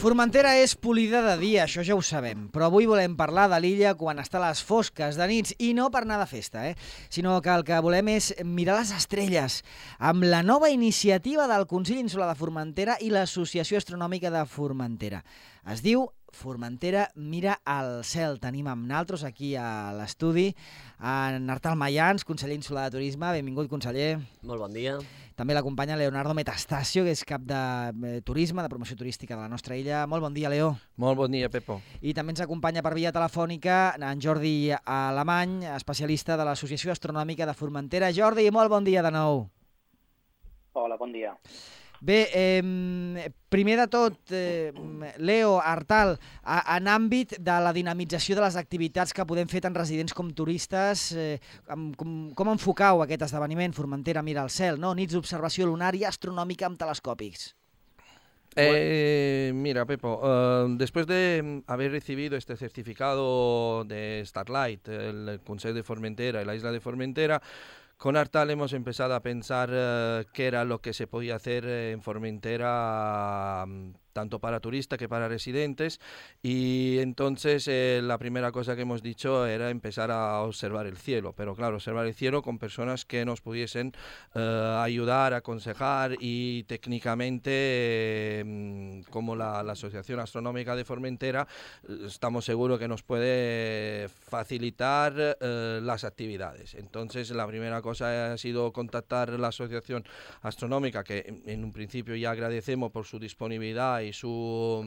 Formentera és polida de dia, això ja ho sabem, però avui volem parlar de l'illa quan està a les fosques de nits, i no per anar de festa, sinó que el que volem és mirar les estrelles, amb la nova iniciativa del Consell Insular de Formentera i l'Associació Astronòmica de Formentera. Es diu Formentera mira al cel. Tenim amb nosaltres aquí a l'estudi en Artal Mayans, conseller insular de Turisme. Benvingut, conseller. Molt bon dia. També l'acompanya Leonardo Metastasio, que és cap de turisme, de promoció turística de la nostra illa. Molt bon dia, Leo. Molt bon dia, Pepo. I també ens acompanya per via telefònica en Jordi Alemany, especialista de l'Associació Astronòmica de Formentera. Jordi, molt bon dia de nou. Hola, bon dia. Bé, primer de tot, Leo, Artal, en àmbit de la dinamització de les activitats que podem fer tant residents com turistes, com enfocau aquest esdeveniment Formentera mira al cel, no? Nits d'observació lunar i astronòmica amb telescopis. Mira, Pepo, después de haber recibido este certificado de Starlight, el Consejo de Formentera y la isla de Formentera, con Artal hemos empezado a pensar qué era lo que se podía hacer en Formentera, tanto para turistas que para residentes, y entonces la primera cosa que hemos dicho era empezar a observar el cielo, pero claro, observar el cielo con personas que nos pudiesen ayudar, aconsejar, y técnicamente, como la Asociación Astronómica de Formentera, estamos seguros que nos puede facilitar las actividades. Entonces la primera cosa ha sido contactar la Asociación Astronómica, que en un principio ya agradecemos por su disponibilidad y su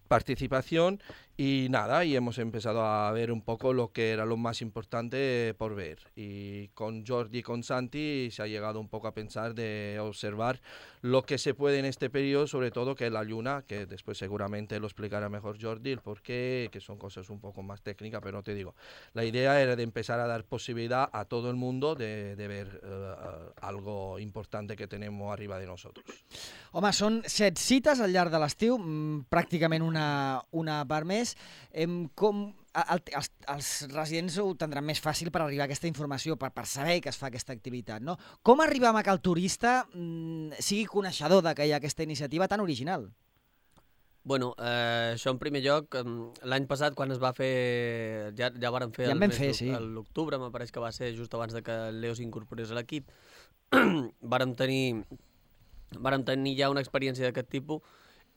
participación, y nada, y hemos empezado a ver un poco lo que era lo más importante por ver, y con Jordi y con Santi se ha llegado un poco a pensar de observar lo que se puede en este periodo, sobre todo que es la luna, que después seguramente lo explicará mejor Jordi el porqué, que son cosas un poco más técnicas, pero te digo, la idea era de empezar a dar posibilidad a todo el mundo de ver algo importante que tenemos arriba de nosotros. Home, són 7 cites al llarg de l'estiu, pràcticament una per mes. Els residents ho tindran més fàcil per arribar a aquesta informació, per saber que es fa aquesta activitat, no? Com arribem a que el turista sigui coneixedor que hi ha aquesta iniciativa tan original? Bueno, això en primer lloc, l'any passat quan es va fer, ja vàrem fer l'octubre, me pareix que va ser just abans de que el Leo s'incorporés a l'equip, vàrem tenir ja una experiència d'aquest tipus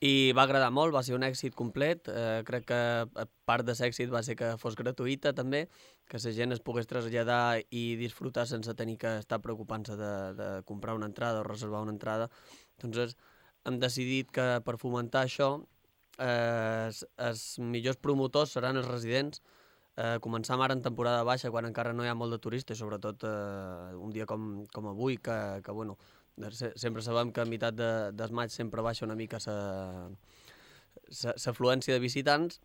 i va agradar molt, va ser un èxit complet. Crec que part de l'èxit va ser que fos gratuïta també, que la gent es pogués traslladar i disfrutar sense tenir que estar preocupant-se de comprar una entrada o reservar una entrada. Entonces hem decidit que per fomentar això els millors promotors seran els residents. Començam ara en temporada baixa, quan encara no hi ha molt de turistes, sobretot un dia com avui, que bueno, sempre sabem que a meitat del maig sempre baixa una mica l'afluència de visitants,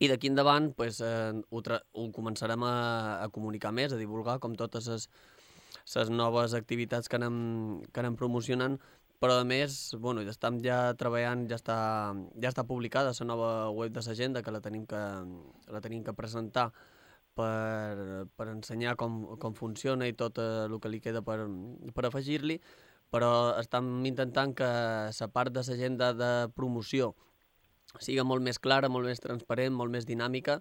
i d'aquí endavant ho començarem a comunicar més, a divulgar, com totes les noves activitats que anem promocionant, però a més, bueno, estem ja treballant, ja està publicada la nova web de l'agenda, que la tenim que presentar per ensenyar com funciona i tot el que li queda per afegir-li, però estem intentant que la part de l'agenda de promoció sigui molt més clara, molt més transparent, molt més dinàmica,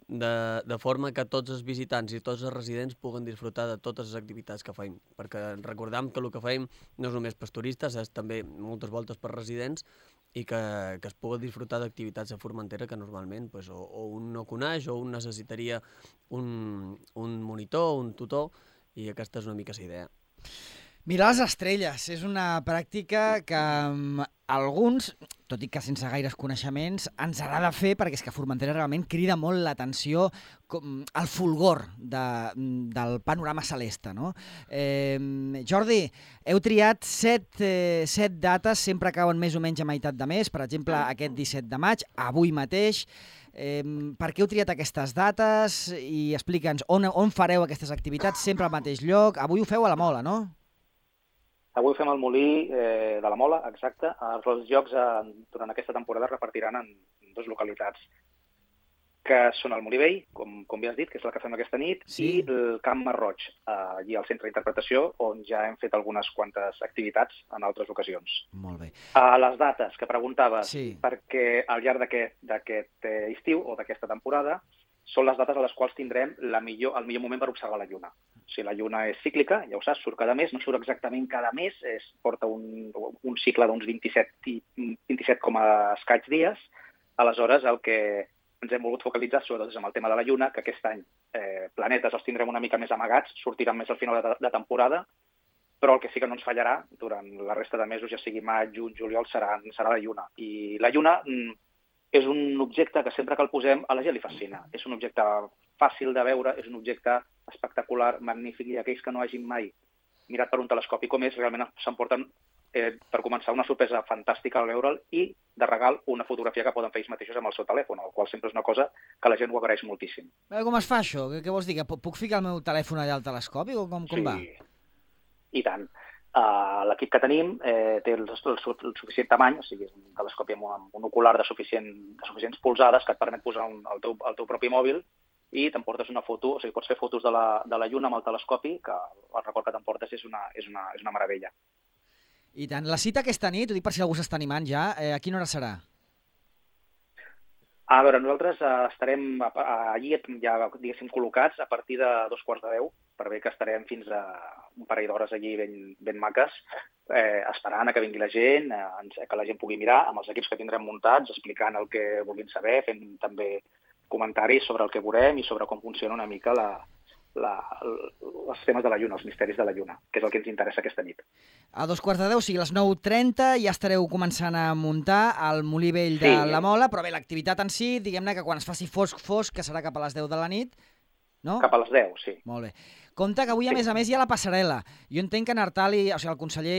de forma que tots els visitants i tots els residents puguen disfrutar de totes les activitats que fem, perquè recordem que el que fem no és només per turistes, és també moltes voltes per residents, i que es pugui disfrutar d'activitats a Formentera que normalment o un no coneix o un necessitaria un monitor, un tutor, i aquesta és una mica la idea. Mirar les estrelles és una pràctica que alguns, tot i que sense gaires coneixements, ens agrada fer, perquè és que Formentera realment crida molt l'atenció, el fulgor del panorama celeste, no? Jordi, heu triat 7 dates, sempre cauen més o menys a meitat de mes, per exemple, aquest 17 de maig, avui mateix. Per què heu triat aquestes dates? I explica'ns on fareu aquestes activitats, sempre al mateix lloc. Avui ho feu a la Mola, no? Avui fem el Molí de la Mola, exacte. Els jocs durant aquesta temporada es repartiran en 2 localitats. que són el Molí Vell, com bé has dit, que és la que fem aquesta nit, Sí. i el Camp Marroig, allí al centre d'interpretació, on ja hem fet algunes quantes activitats en altres ocasions. Molt bé. A les dates que preguntaves, Sí. perquè al llarg d'aquest estiu o d'aquesta temporada són les dates a les quals tindrem el millor moment per observar la lluna. O sigui, la lluna és cíclica, ja ho saps, surt cada mes, no surt exactament cada mes, porta un cicle d'uns 27 com a escaig dies. Aleshores, el que ens hem volgut focalitzar sobretot és amb el tema de la lluna, que aquest any planetes els tindrem una mica més amagats, sortiran més al final de temporada, però el que sí que no ens fallarà durant la resta de mesos, ja sigui maig, juny, juliol, serà la lluna. I la lluna és un objecte que sempre que el posem a la gent li fascina. És un objecte fàcil de veure, és un objecte espectacular, magnífic, i aquells que no hagin mai mirat per un telescopi com és, realment s'emporten, per començar, una sorpresa fantàstica al veure'l i, de regal, una fotografia que poden fer ells mateixos amb el seu telèfon, el qual sempre és una cosa que la gent ho agraeix moltíssim. Com es fa això? Què vols dir? Que puc ficar el meu telèfon allà al telescopi o com va? I tant. L'equip que tenim té el suficient tamany, o sigui, és un telescopi amb un ocular de suficients polzades que et permet posar el teu propi mòbil i t'emportes una foto, o sigui, pots fer fotos de la lluna amb el telescopi, que el record que t'emportes és una meravella. I tant. La cita aquesta nit, ho dic per si algú s'està animant ja, a quina hora serà? A veure, nosaltres estarem allí ja, diguéssim, col·locats a partir de 2:15, per bé que estarem fins a un parell d'hores allí ben maques, esperant que vingui la gent, que la gent pugui mirar amb els equips que tindrem muntats, explicant el que vulguin saber, fent també comentaris sobre el que veurem i sobre com funciona una mica els temes de la lluna, els misteris de la lluna, que és el que ens interessa aquesta nit. A 2:15, o sigui, a les 9:30 ja estareu començant a muntar al Molí Vell de la Mola, però bé, l'activitat en si, diguem-ne que quan es faci fosc, que serà cap a les 10 de la nit, no? Cap a les 10, sí. Molt bé. Compte que avui, a més, hi ha la passarel·la. Jo entenc que en Artali, o sigui, el conseller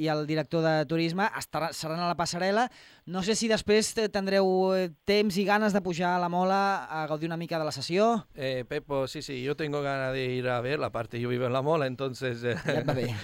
i el director de turisme seran a la passarel·la. No sé si després tendreu temps i ganes de pujar a la Mola a gaudir una mica de la sessió. Pepo, sí, yo tengo ganas de ir a verla, aparte yo vivo en La Mola, entonces Ya va bien.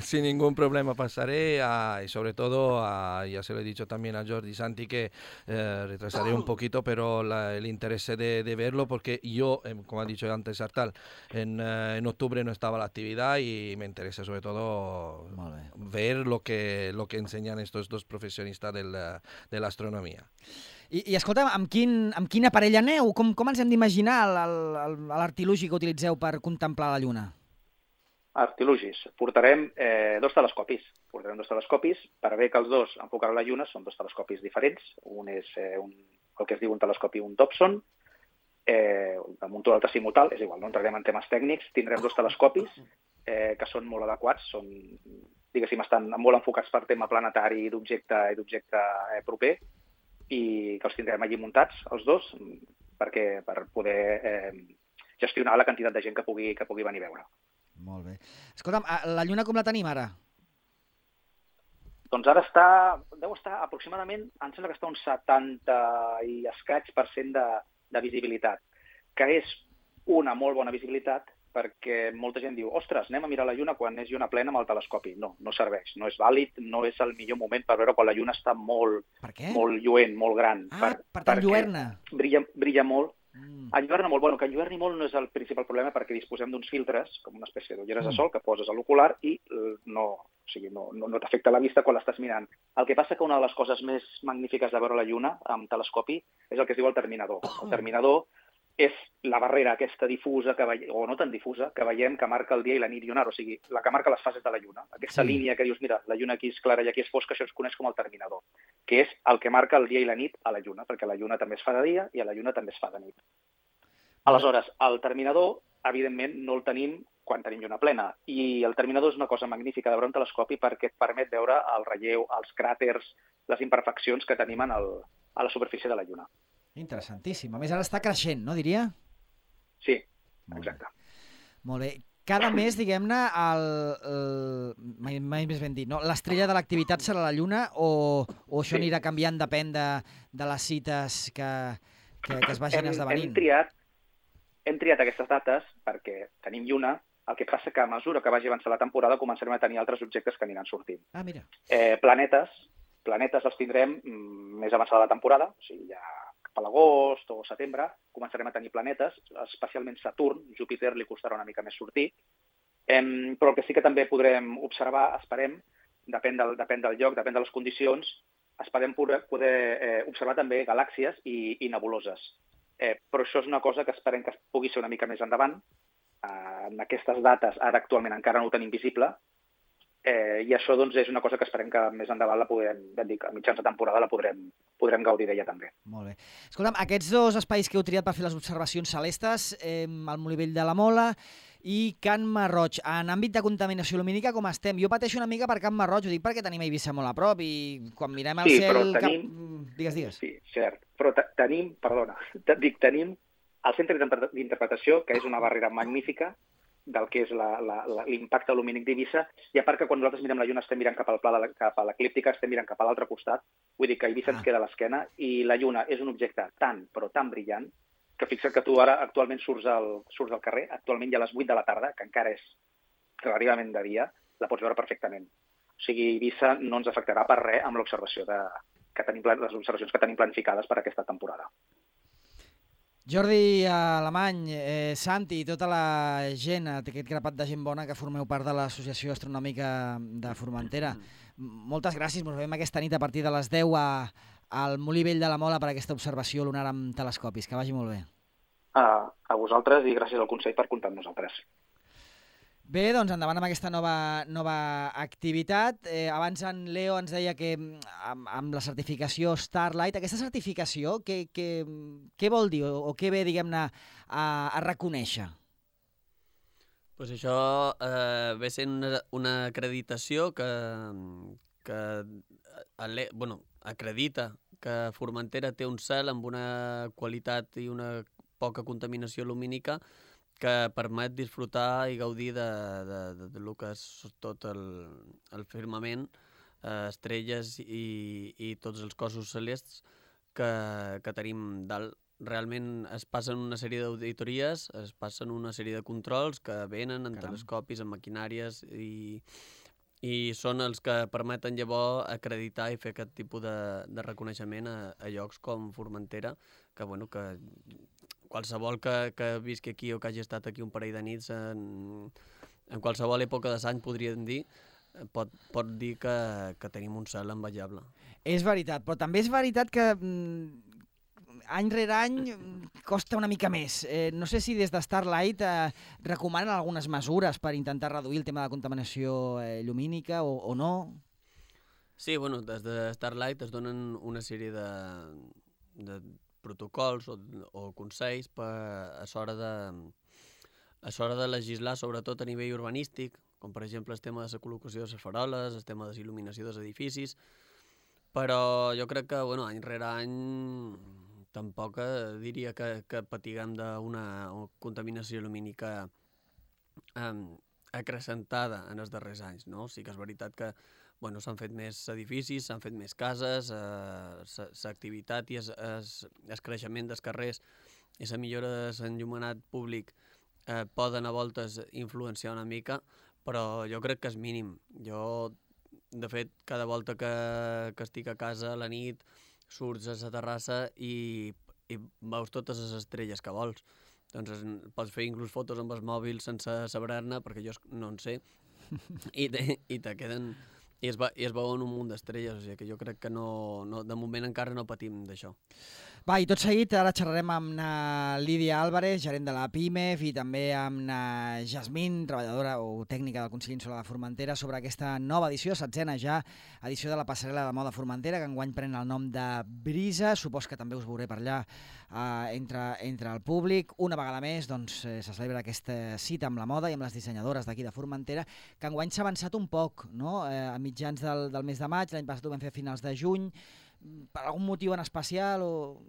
sin ningún problema pasaré y sobre todo, ya se lo he dicho también a Jordi Santi que retrasaré un poquito, pero el interés de verlo porque yo, como ha dicho antes Artal, en octubre no estaba la actividad y me interesa sobre todo ver lo que enseñan estos dos profesionistas de l'astronomia. I escolta'm, amb quin aparell aneu? Com ens hem d'imaginar l'artilugi que utilitzeu per contemplar la Lluna? Artilugis. Portarem dos telescopis. Per bé que els dos enfocaran la Lluna, són dos telescopis diferents. Un és el que es diu un telescopi, un Dobson, damunt l'altre simultànic, és igual, no entrarem en temes tècnics. Tindrem dos telescopis que són molt adequats, diguéssim, estan molt enfocats per tema planetari i d'objecte proper, i que els tindrem allí muntats, els dos, per poder gestionar la quantitat de gent que pugui venir a veure. Molt bé. Escolta'm, la Lluna com la tenim ara? Doncs ara deu estar aproximadament, em sembla que està un 70 i escaig % de visibilitat, que és una molt bona visibilitat, perquè molta gent diu, ostres, anem a mirar la Lluna quan és lluna plena amb el telescopi. No serveix, no és vàlid, no és el millor moment per veure quan la Lluna està molt lluent, molt gran. Per tant, lluerna. Brilla molt. Enlluerna molt. Bueno, que enlluerni molt no és el principal problema perquè disposem d'uns filtres, com una espècie d'ulleres de sol, que poses a l'ocular i no t'afecta la vista quan l'estàs mirant. El que passa que una de les coses més magnífiques de veure la Lluna amb telescopi és el que es diu el terminador. El terminador és la barrera aquesta difusa, o no tan difusa, que veiem que marca el dia i la nit lunar, o sigui, la que marca les fases de la Lluna. Aquesta línia que dius, mira, la Lluna aquí és clara i aquí és fosca, això es coneix com el terminador, que és el que marca el dia i la nit a la Lluna, perquè la Lluna també es fa de dia i a la Lluna també es fa de nit. Aleshores, el terminador, evidentment, no el tenim quan tenim lluna plena, i el terminador és una cosa magnífica de veure un telescopi perquè et permet veure el relleu, els cràters, les imperfeccions que tenim a la superfície de la Lluna. Interessantíssim. A més, ara està creixent, no, diria? Sí, exacte. Molt bé. Cada mes, diguem-ne, mai més ben dit, no? L'estrella de l'activitat serà la Lluna o això anirà canviant, depèn de les cites que es vagin esdevenint? Hem triat aquestes dates perquè tenim lluna, el que passa que a mesura que vagi avançant la temporada començarem a tenir altres objectes que aniran sortint. Mira. Planetes els tindrem més avançada la temporada, o sigui, ja cap a l'agost o setembre, començarem a tenir planetes, especialment Saturn. Júpiter li costarà una mica més sortir. Però el que sí que també podrem observar, esperem, depèn del lloc, depèn de les condicions, esperem poder observar també galàxies i nebuloses. Però això és una cosa que esperem que pugui ser una mica més endavant. En aquestes dates, ara actualment encara no ho tenim visible, i això doncs, és una cosa que esperem que més endavant a mitjans de temporada la podrem gaudir d'ella també. Molt bé. Escolta'm, aquests dos espais que heu triat per fer les observacions celestes, el Molivell de la Mola i Can Marroig, en àmbit de contaminació lumínica com estem? Jo pateixo una mica per Can Marroig, ho dic perquè tenim Eivissa molt a prop i quan mirem al cel... Digues. Sí, cert. Però tenim el centre d'interpretació, que és una barrera magnífica del que és l'impacte lumínic d'Eivissa, i a part que quan nosaltres mirem la Lluna estem mirant cap a l'eclíptica, estem mirant cap a l'altre costat, vull dir que Eivissa ens queda a l'esquena, i la Lluna és un objecte tan brillant, que fixa't que tu ara actualment surts al carrer, actualment ja a les 8 de la tarda, que encara és relativament de dia, la pots veure perfectament. O sigui, Eivissa no ens afectarà per res amb l'observació les observacions que tenim planificades per aquesta temporada. Jordi Alemany, Santi i tota la gent, aquest grapat de gent bona que formeu part de l'Associació Astronòmica de Formentera, moltes gràcies. Ens veiem aquesta nit a partir de les 10 al Molí Vell de la Mola per aquesta observació lunar amb telescopis. Que vagi molt bé. A vosaltres i gràcies al Consell per comptar amb nosaltres. Bé, doncs endavant amb aquesta nova activitat. Abans en Leo ens deia que amb la certificació Starlight, aquesta certificació, què vol dir o què ve, diguem-ne, a reconèixer? Pues això ve sent una acreditació que acredita que Formentera té un cel amb una qualitat i una poca contaminació lumínica que permet disfrutar i gaudir de lo que és tot el firmament, estrelles i tots els cossos celestes que tenim dalt. Realment es passen una sèrie d'auditories, es passen una sèrie de controls que venen en telescopis, en maquinàries i són els que permeten llavors acreditar i fer aquest tipus de reconeixement a llocs com Formentera, que qualsevol que visqui aquí o que hagi estat aquí un parell de nits en qualsevol època de l'any podríem dir, pot dir que tenim un cel envejable. És veritat, però també és veritat que any rere any costa una mica més. No sé si des de Starlight recomanen algunes mesures per intentar reduir el tema de contaminació lumínica o no. Sí, des de Starlight es donen una sèrie de protocols o consells a l'hora de legislar, sobretot a nivell urbanístic, com per exemple el tema de la col·locació de les faroles, el tema de la il·luminació dels edificis, però jo crec que any rere any tampoc diria que patiguem d'una contaminació lumínica acrecentada en els darrers anys, no? Sí que és veritat que s'han fet més edificis, s'han fet més cases, l'activitat i el creixement dels carrers i la millora de l'enllumenat públic poden a voltes influenciar una mica, però jo crec que és mínim. Jo, de fet, cada volta que estic a casa a la nit, surts a la terrassa i veus totes les estrelles que vols. Doncs pots fer inclús fotos amb el mòbil sense saber-ne, perquè jo no en sé, i te queden... I es veuen un munt d'estrelles, o sigui que jo crec que de moment encara no patim d'això. Va, i tot seguit ara xerrarem amb na Lídia Álvarez, gerent de la PIMEF, i també amb na Jasmine, treballadora o tècnica del Consell Insular de Formentera, sobre aquesta nova edició, 7a ja, edició de la passarel·la de moda Formentera, que enguany pren el nom de Brisa. Supos que també us veuré per allà entre el públic. Una vegada més se celebra aquesta cita amb la moda i amb les dissenyadores d'aquí de Formentera, que enguany s'ha avançat un poc, no? A mitjans del mes de maig, l'any passat ho vam fer a finals de juny. Per algun motiu en especial o...?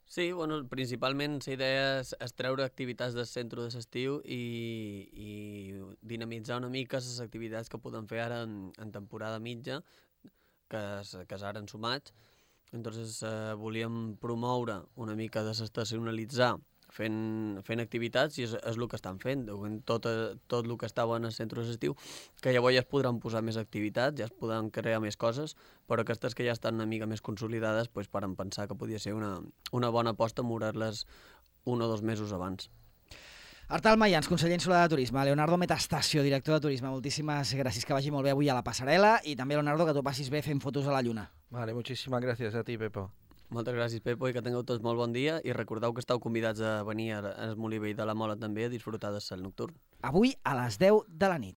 Sí, principalment la idea és treure activitats del centre de l'estiu i dinamitzar una mica les activitats que podem fer ara en temporada mitja, que és ara en maig. Entonces volíem promoure una mica, desestacionalitzar fent activitats i és el que estan fent. Tot el que estava en els centres d'estiu, que llavors ja es podran posar més activitats, ja es podran crear més coses, però aquestes que ja estan una mica més consolidades, doncs varen pensar que podia ser una bona aposta moure-les 1 o 2 mesos abans. Artal Mayans, conseller insular de Turisme, Leonardo Metastasio, director de Turisme, moltíssimes gràcies, que vagi molt bé avui a la passarel·la i també, Leonardo, que tu passis bé fent fotos a la lluna. Vale, muchísimas gracias a ti, Pepo. Moltes gràcies, Pepo, i que tingueu tots molt bon dia i recordeu que esteu convidats a venir al Molí Vell de la Mola també a disfrutar del cel nocturn. Avui a les 10 de la nit.